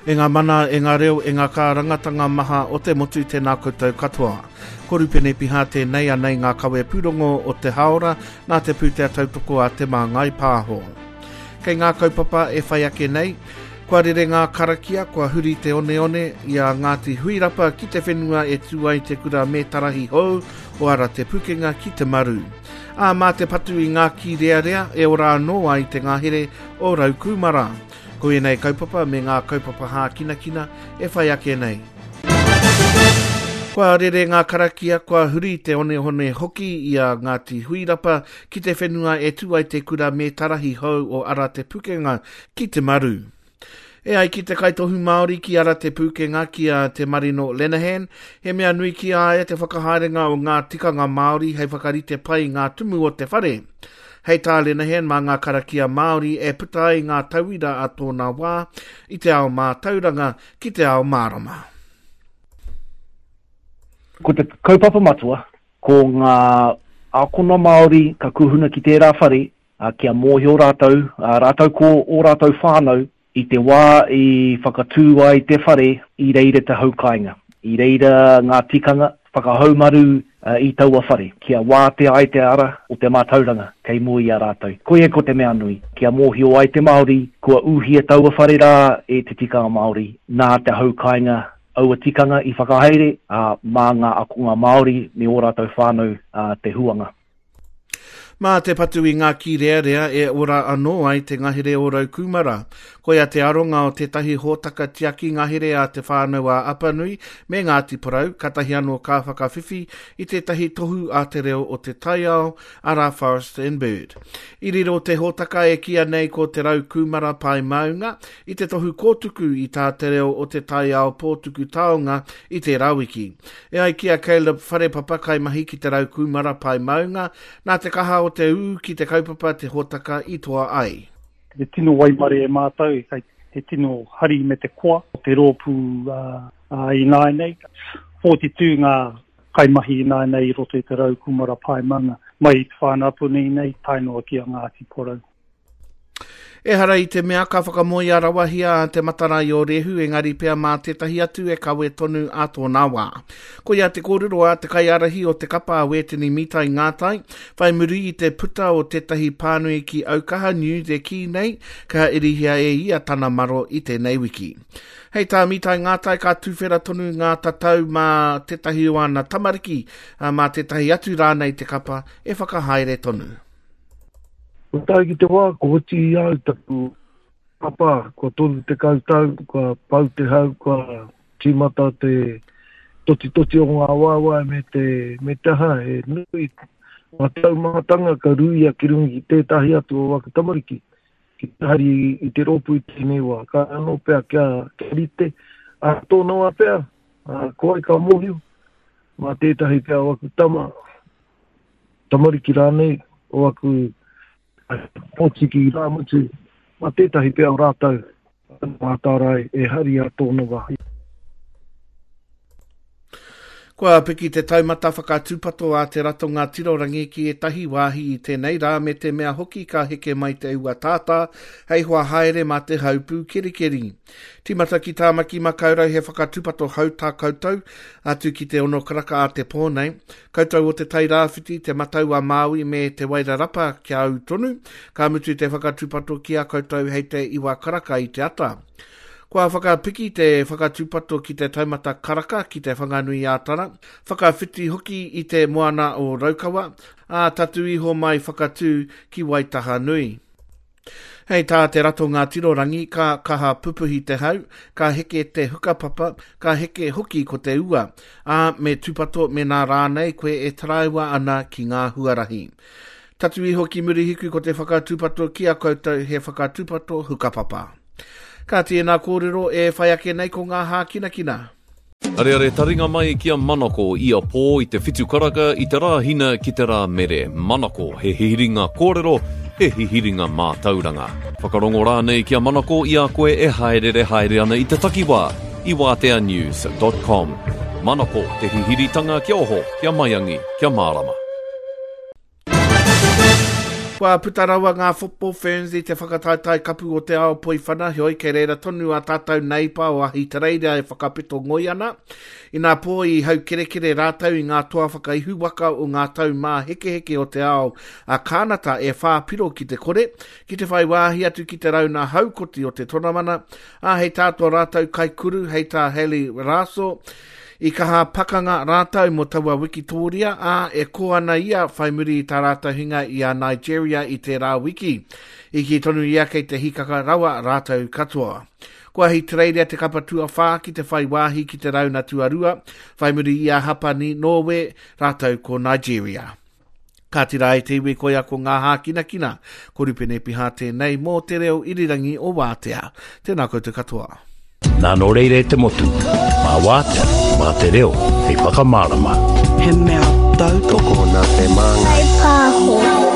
E ngā mana, e ngā reo, e ngā kārangatanga maha o te motu tēnā koutou katoa. Ko Rupene Piha tēnei anei ngā kawe pūrongo o te hāora nā te pūtea tautoko a Te Māngai Pāho. Kei ngā kaupapa e whai ake nei, kua rere ngā karakia, kua huri te oneone i a Ngāti Huirapa ki te whenua e tū ai te kura mētarahi hou o Ara Te Pukenga ki Te Maru. Ā, mā te patu i ngā kīrearea e ora anō ai te ngahere o Raukūmara. Ko ēnei kaupapa me ngā kaupapa hākinakina e whai ake nei. Kua rere ngā karakia, kua huri te onehone hoki i a Ngāti Huirapa ki te whenua e tū ai te kura mētarahi hou o Ara Te Pukenga ki Te Maru. E ai ki te kaitohu Māori ki Ara Te Pūkenga ki a Te Marino Lenehan, he mea nui ki a ia te whakahaerenga o ngā tikanga Māori hei whakarite pai i ngā tumu o te whare. Hei tā Lenehan mā ngā karakia Māori e puta ai ngā tauira a tōna wā i te ao mātauranga ki te ao mārama. Ko te kaupapa matua, ko ngā ākona Māori ka kuhuna ki tērā whare, kia mōhio rātou, rātou ko ō rātou whānau, I te wā i whakatū ai te whare, i reira te hau kāinga, i reira ngā tikanga whakahaumaru i taua whare, kia wātea ai te ara o te mātauranga kei mua i a rātou. Koia ko te mea nui, kia mōhio ai te Māori kua ūhia taua whare rā e te tikanga Māori, nā te hau kāinga aua tikanga i whakahaere, ā, mā ngā akonga Māori me ō rātou whānau te huanga. Mā te patu i ngā kīrearea e ora anō ai te ngahere o Raukūmara. Koia te aronga o tētahi hōtaka tiaki ngahere a Te Whānau-a-Apanui me Ngāti Porou, katahi anō ka whakawhiwhi i tētahi tohu a te reo o te taiao, arā Forest and Bird. I riro te hōtaka e kīia nei ko Te Raukūmara Pae Maunga i te tohu kōtuku i tā te reo o te taiao pōtuku taonga i tērā wiki. E ai ki a Caleb Wharepapa, kaimahi ki Te Rau Kūmara Pae Maunga, nā te kaha o te ū ki te kaupapa te hōtaka i toa ai. He tino waimarie mātou, he tino hari me te koa o te rōpū ināianei. 42 ngā kaimahi ināianei i roto i Te Rau Kūmara Pae Maunga, mai i Te Whānau-a-Apanui nei tae noa ki a Ngāti Porou. Ehara i te mea ka whakamoea rawahia a Te Matarae o Rehu, engari pea mā tētahi atu e kawe tonu ā tōna wā. Koia te kōrero a te kaiārahi o te kapa a Wētini Mitai Ngātai, whai muri i te puta o tētahi pānui ki Aukaha News e kī nei ka irihia e ia tana maro i tēnei wiki. Hei tā Mitai Ngātai ka tuwhera tonu ngā tatau mā tētahi o ana tamariki, mā tētahi atu rānei te kapa e whakahaere tonu. Kua tae ki te wā, kua oti i a au taku papa, kua 30 tau, kua pau te hau, kua tīmata te totitoti o ngā waewae me te, me te aha, he nui ngā taumahatanga ka ruia ki runga ki tētahi atu o aku tamariki, ki te hari i te rōpū i tēnei wā. Ka anō pea kia, kia rite, ā tōna wā pea, ā, ko wai ka mōhio, mā tētahi pea o aku tama, tamariki rānei o aku pōtiki irāmutu, mā tētahi pea o rātou mātārae e hari a tōna wā. Kua piki te taumata whakatūpato a te ratonga tirorangi ki ētahi wāhi i tēnei rā me te mea hoki ka heke mai te ua tātā hei hoa haere mā te haupū kerikeri. Tīmata ki Tāmaki Makaurau he whakatūpato hou tā koutou, atu ki te ono karaka a te pō nei. Koutou o Te Tai Rāwhiti, Te Matau a Māui me Te Wairarapa kia ū tonu, ka mutu te whakatūpato ki a koutou hei te iwa karaka i te ata. Kua whakapiki te whakatūpato ki te taumata karaka ki Te Whanganui-ā-Tara, whakawhiti hoki i te moana o Raukawa, ā, tatū iho mai Whakatū ki Waitahanui. Hei tā te ratonga tirorangi, ka kaha pupuhi te hau, ka heke te hukapapa, ka heke hoki ko te ua, ā, me tūpato mēnā rānei koe e taraiwa ana ki ngā huarahi. Tatū iho ki Murihiku ko te whakatūpato ki a koutou he whakatūpato hukapapa. Kāti ēnā kōrero e whai ake nei ko ngā hākinakina. Areare taringa mai ki a Manako ia pō i te whitu karaka i te Rāhina ki te Rāmere. Manako, he hihiringa kōrero, he hihiringa mātauranga. Whakarongo rānei ki a Manako i a koe e hāereere haere ana i te takiwā i wāteanews dot com. Manako, te hihiritanga kia oho, kia maiangi, kia mārama. Kua puta rawa ngā Football Ferns i te whakataetae kapu o te ao poiwhana, heoi kei reira tonu a tātou neipa o Ahitereiria e whakapeto ngoi ana. Inā pō i haukerekere rātou i ngā toa whakaihuwaka o ngā tau māhekeheke o te ao a Kānata e whā piro ki te kore, ki te whai wāhi atu ki te rauna haukoti o te tonamana, ā, hei tā tō rātou kaikuru, hei tā Hayley Raso, I kaha pakanga rātou mō taua wikitōria, ā, e kō ana ia whai muri i tā rātou hinga i a Nigeria i tērā wiki. I kī tonu ia kei te hīkaka rawa rātou katoa. Kua Ahitereiria te kapa tuawhā ki te whai wāhi ki te rauna tuarua, whai muri i a Hapani, Nōwe, rātou ko Nigeria. Kāti rā e te iwi koia ko ngā hākinakina. Ko Rupene Piha tēnei mō Te Reo Irirangi o Wātea. Tēnā koutou katoa. Nā nō reira e te motu, mā Wātea, mā te reo hei whakamārama. He mea tautoko nā te māngai. Pāho.